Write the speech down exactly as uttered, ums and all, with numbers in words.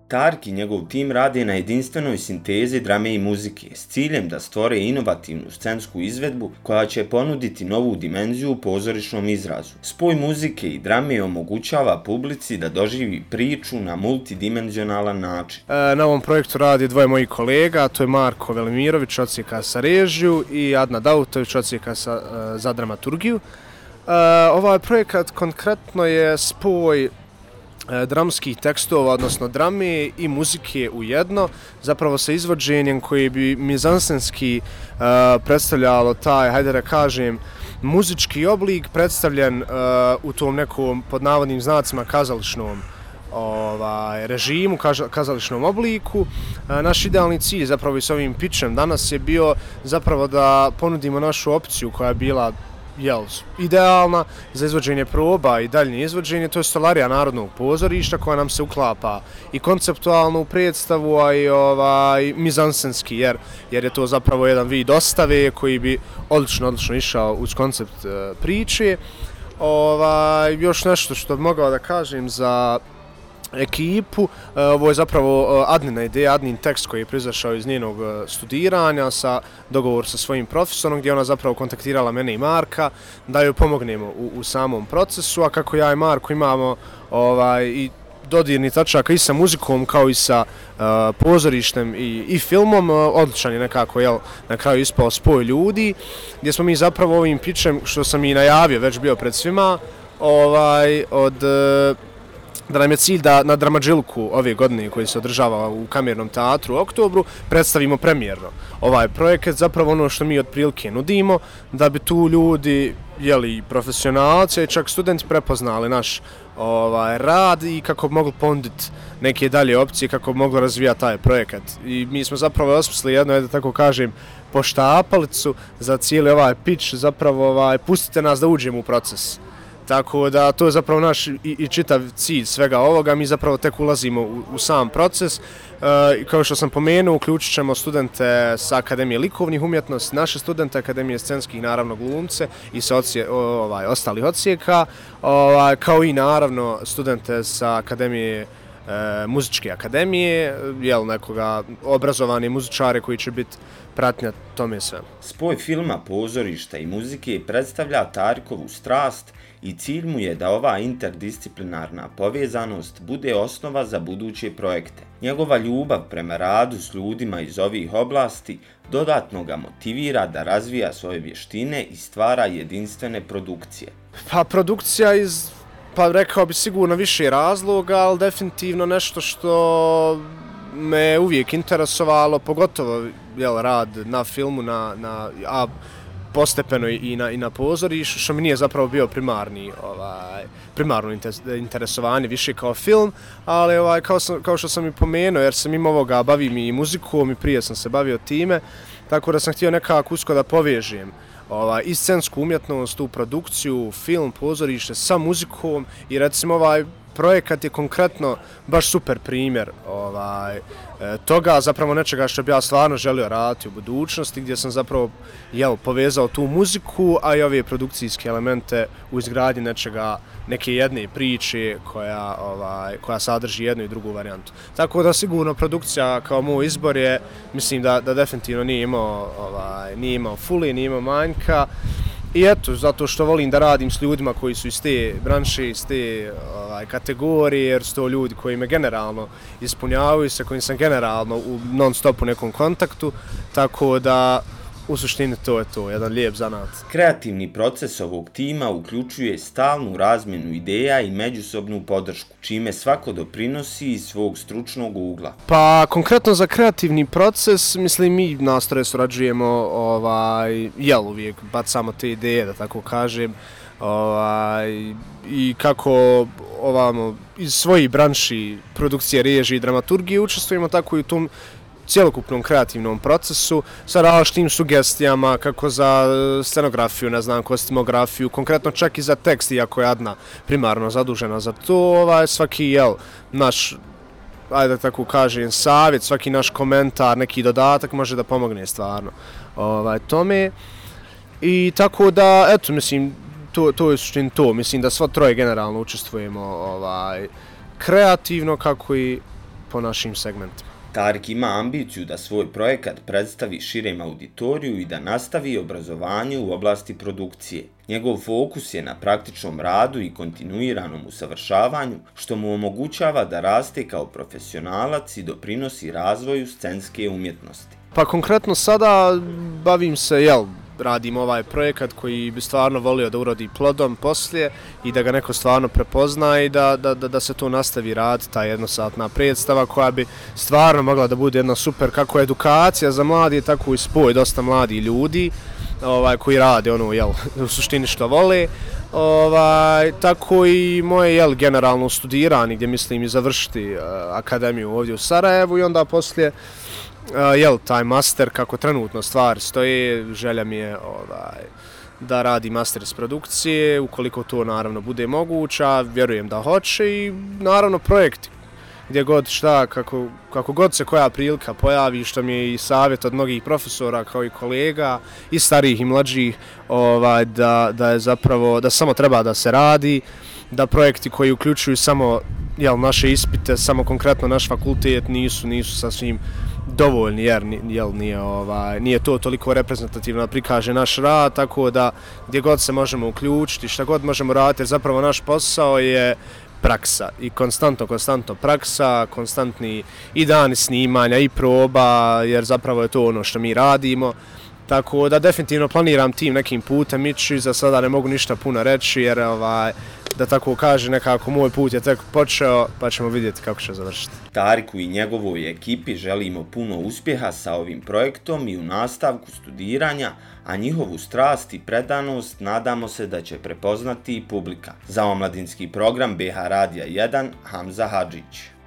Tarik i njegov tim rade na jedinstvenoj sintezi drame i muzike s ciljem da stvore inovativnu scensku izvedbu koja će ponuditi novu dimenziju u pozorišnom izrazu. Spoj muzike i drame omogućava publici da doživi priču na multidimenzionalan način. E, na ovom projektu radi dvoje mojih kolega, to je Marko Velimirović, odsjeka sa režiju, i Adna Dautović, odsjeka sa, za dramaturgiju. E, ovaj projekat konkretno je spoj dramskih tekstova, odnosno drame i muzike u jedno, zapravo sa izvođenjem koji bi mizansenski uh, predstavljalo taj, hajde da kažem, muzički oblik predstavljen uh, u tom nekom, pod navodnim znacima, kazališnom ovaj, režimu, kazališnom obliku. Uh, naš idealni cilj zapravo i s ovim pitchem danas je bio zapravo da ponudimo našu opciju koja je bila jel, idealna za izvođenje proba i daljnje izvođenje, to je stolarija Narodnog pozorišta koja nam se uklapa i konceptualno u predstavu, a i ovaj, mizansenski, jer, jer je to zapravo jedan vid ostave koji bi odlično, odlično išao uz koncept uh, priče. Ovaj, još nešto što bi mogao da kažem za ekipu, ovo je zapravo Adnina ideja, Adnin tekst koji je proizašao iz njenog studiranja, sa dogovor sa svojim profesorom, gdje ona zapravo kontaktirala mene i Marka da joj pomognemo u, u samom procesu, a kako ja i Marko imamo ovaj, i dodirni tačaka i sa muzikom kao i sa uh, pozorištem i, i filmom, uh, odličan je nekako jel, na kraju ispao spoj ljudi, gdje smo mi zapravo ovim pitchem, što sam i najavio, već bio pred svima, ovaj, od uh, da nam je cilj da na Dramadžilku ove godine koji se održava u Kamernom teatru u oktobru predstavimo premijerno ovaj projekat, zapravo ono što mi otprilike nudimo, da bi tu ljudi, jeli, profesionalci i čak studenti prepoznali naš ovaj, rad i kako bi mogli ponuditi neke dalje opcije, kako bi mogli razvijati taj projekat. I mi smo zapravo osmislili jedno, da tako kažem, poštapalicu za cijeli ovaj pitch, zapravo ovaj, pustite nas da uđemo u proces. Tako da to je zapravo naš i, i čitav cilj svega ovoga, mi zapravo tek ulazimo u, u sam proces. E, kao što sam pomenuo, uključit ćemo studente sa Akademije likovnih umjetnosti, naše studente Akademije scenskih, naravno glumce i sa odsje, ovaj, ostalih odsjeka, ovaj, kao i naravno studente sa Akademije e, muzičke akademije, jel, nekoga obrazovani muzičare koji će biti pratnja tome sve. Spoj filma, pozorišta i muzike predstavlja Tarikovu strast i cilj mu je da ova interdisciplinarna povezanost bude osnova za buduće projekte. Njegova ljubav prema radu s ljudima iz ovih oblasti dodatno ga motivira da razvija svoje vještine i stvara jedinstvene produkcije. Pa produkcija iz, pa rekao bi sigurno više razloga, ali definitivno nešto što me uvijek interesovalo, pogotovo jel, rad na filmu, na, na, a postepeno i na, i na pozorištu, što mi nije zapravo bio primarni, ovaj, primarno interesovanje, više kao film, ali ovaj, kao, sam, kao što sam i pomenuo, jer sam imao ovoga, bavim i muzikom i prije sam se bavio time, tako da sam htio nekako usko da povežem ovaj, i scensku umjetnost, tu produkciju, film, pozorište sa muzikom i recimo ovaj projekat je konkretno baš super primjer ovaj, toga, zapravo nečega što bi ja stvarno želio raditi u budućnosti, gdje sam zapravo jel, povezao tu muziku, a i ove produkcijske elemente u izgradnji nečega, neke jedne priče koja, ovaj, koja sadrži jednu i drugu varijantu. Tako da sigurno produkcija kao moj izbor je, mislim da, da definitivno nije imao, ovaj, nije imao fuli, nije imao manjka. I eto, zato što volim da radim s ljudima koji su iz te branše, iz te ovaj, kategorije, jer su to ljudi koji me generalno ispunjavaju, sa kojim sam generalno u non-stopu nekom kontaktu, tako da u suštini to je to, jedan lijep zanat. Kreativni proces ovog tima uključuje stalnu razmjenu ideja i međusobnu podršku, čime svako doprinosi iz svog stručnog ugla. Pa konkretno za kreativni proces, mislim mi nastroje surađujemo, ovaj, jel uvijek bacamo te ideje, da tako kažem, ovaj, i kako ovamo, iz svojih branši produkcije, režije i dramaturgije učestvujemo, tako i u tom cjelokupnom kreativnom procesu sa različitim sugestijama kako za scenografiju, ne znam, kostimografiju, konkretno čak i za tekst, iako je Adna primarno zadužena za to, ovaj, svaki jel, naš, ajde da tako kažem, savjet, svaki naš komentar, neki dodatak može da pomogne stvarno ovaj, tome. I tako da, eto, mislim, to, to je suštini to, mislim da sva troje generalno učestvujemo ovaj, kreativno kako i po našim segmentima. Tarik ima ambiciju da svoj projekat predstavi širem auditoriju i da nastavi obrazovanje u oblasti produkcije. Njegov fokus je na praktičnom radu i kontinuiranom usavršavanju, što mu omogućava da raste kao profesionalac i doprinosi razvoju scenske umjetnosti. Pa konkretno sada bavim se, jel, radim ovaj projekat koji bi stvarno volio da urodi plodom poslije i da ga neko stvarno prepozna i da, da, da se to nastavi rad, ta jednosatna predstava koja bi stvarno mogla da bude jedna super kako edukacija za mladi, tako i spoj dosta mladih ljudi ovaj, koji rade ono, jel, u suštini što vole. Ovaj, tako i moje, jel, generalno studiranje gdje mislim i završiti uh, akademiju ovdje u Sarajevu i onda poslije Uh, jel, taj master, kako trenutno stvari stoje, želja mi je ovaj, da radi master iz produkcije, ukoliko to naravno bude moguća, vjerujem da hoće i naravno projekti, gdje god šta, kako, kako god se koja prilika pojavi, što mi je i savjet od mnogih profesora kao i kolega, i starijih i mlađih, ovaj, da, da je zapravo, da samo treba da se radi, da projekti koji uključuju samo, jel, naše ispite, samo konkretno naš fakultet nisu, nisu sasvim dovoljni jer jel, nije, ovaj, nije to toliko reprezentativno da prikaže naš rad, tako da gdje god se možemo uključiti, šta god možemo raditi, jer zapravo naš posao je praksa i konstantno, konstantno praksa, konstantni i dani snimanja i proba, jer zapravo je to ono što mi radimo. Tako da definitivno planiram tim nekim putem ići, za sada ne mogu ništa puno reći jer ovaj, da tako kaže, nekako moj put je tek počeo, pa ćemo vidjeti kako će završiti. Tariku i njegovoj ekipi želimo puno uspjeha sa ovim projektom i u nastavku studiranja, a njihovu strast i predanost nadamo se da će prepoznati i publika. Za omladinski program B H Radija jedan, Hamza Hadžić.